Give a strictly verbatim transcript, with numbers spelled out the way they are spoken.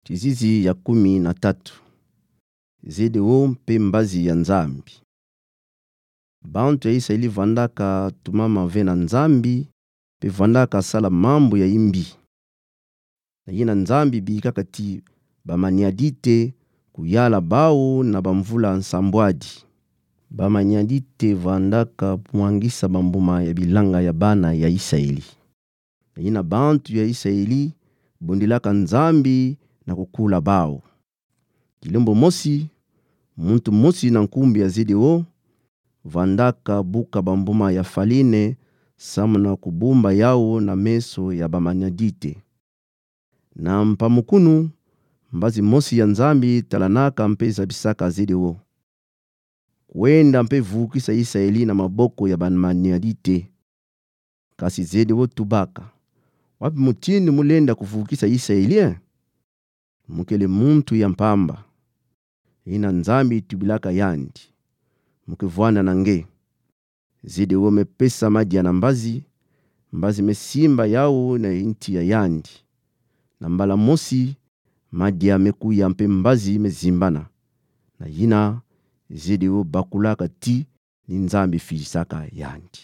Tizizi ya kumi na tatu. Zedeo mpe mbazi ya Nzambi. Bantu ya Isaeli vandaka tumama ve na Nzambi, mpe vandaka sala mambu ya imbi. Na yina Nzambi bikaka ti bamaniadite kuyala bawu na bamvula nsambwadi. Bamaniadite vandaka mwangisa bambuma ya bilanga ya bana ya Isaeli. Na yina bantu ya Isaeli bundilaka Nzambi na kukula bawu. Kilembo mosi, muntu mosi na nkumbu ya Zedeo vandaka buka bambuma ya faline, samu na kubumba yawu na meso ya bamaniadite. Na mpamukunu, mbazi mosi ya Nzambi talanaka mpe zabisaka Zedeo: Kwenda mpe vukisa Isaeli na maboko ya bamaniadite. Kasi Zedeo tubaka: Wapi mutindu mu lenda kuvukisa Isaeli, e? Mu kele muntu ya mpamba. Yina Nzambi tubilaka yandi: Mu ke vwanda na nge. Zedeo me pesa madia na mbazi, mbazi me simba yawu na nti ya yandi. Na mbala mosi, madia me kuya mpe mbazi me zimbana. Na yina, Zedeo bakulaka ti ni Nzambi filisaka yandi.